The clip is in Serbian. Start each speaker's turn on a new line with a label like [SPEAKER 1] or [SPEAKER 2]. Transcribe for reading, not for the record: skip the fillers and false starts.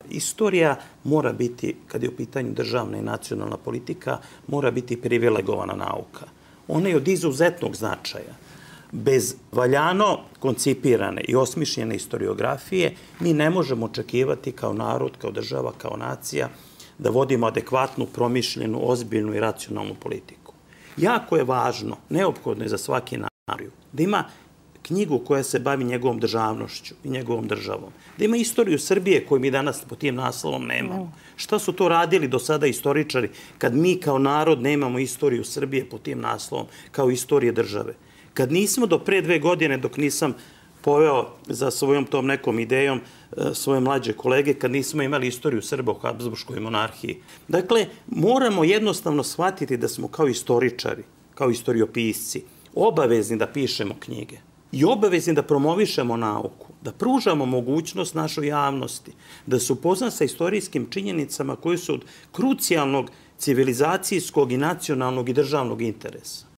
[SPEAKER 1] Istorija mora biti, kad je u pitanju državna i nacionalna politika, mora biti privilegovana nauka. Ona je od izuzetnog značaja. Bez valjano koncipirane i osmišljene historiografije mi ne možemo očekivati kao narod, kao država, kao nacija da vodimo adekvatnu, promišljenu, ozbiljnu i racionalnu politiku. Jako je važno, neophodno je za svaki narod, da ima knjigu koja se bavi njegovom državnošću i njegovom državom. Da ima istoriju Srbije koju mi danas po tim naslovom nemamo. Šta su to radili do sada istoričari kad mi kao narod nemamo istoriju Srbije po tim naslovom kao istorije države? Kad nismo do pre 2 godine, dok nisam poveo za svojom tom nekom idejom svoje mlađe kolege, kad nismo imali istoriju Srba u Habsburškoj monarhiji. Dakle, moramo jednostavno shvatiti da smo kao istoričari, kao istoriopisci, obavezni da pišemo knjige i obavezni da promovišemo nauku, da pružamo mogućnost našoj javnosti, da se upozna sa istorijskim činjenicama koje su od krucijalnog civilizacijskog i nacionalnog i državnog interesa.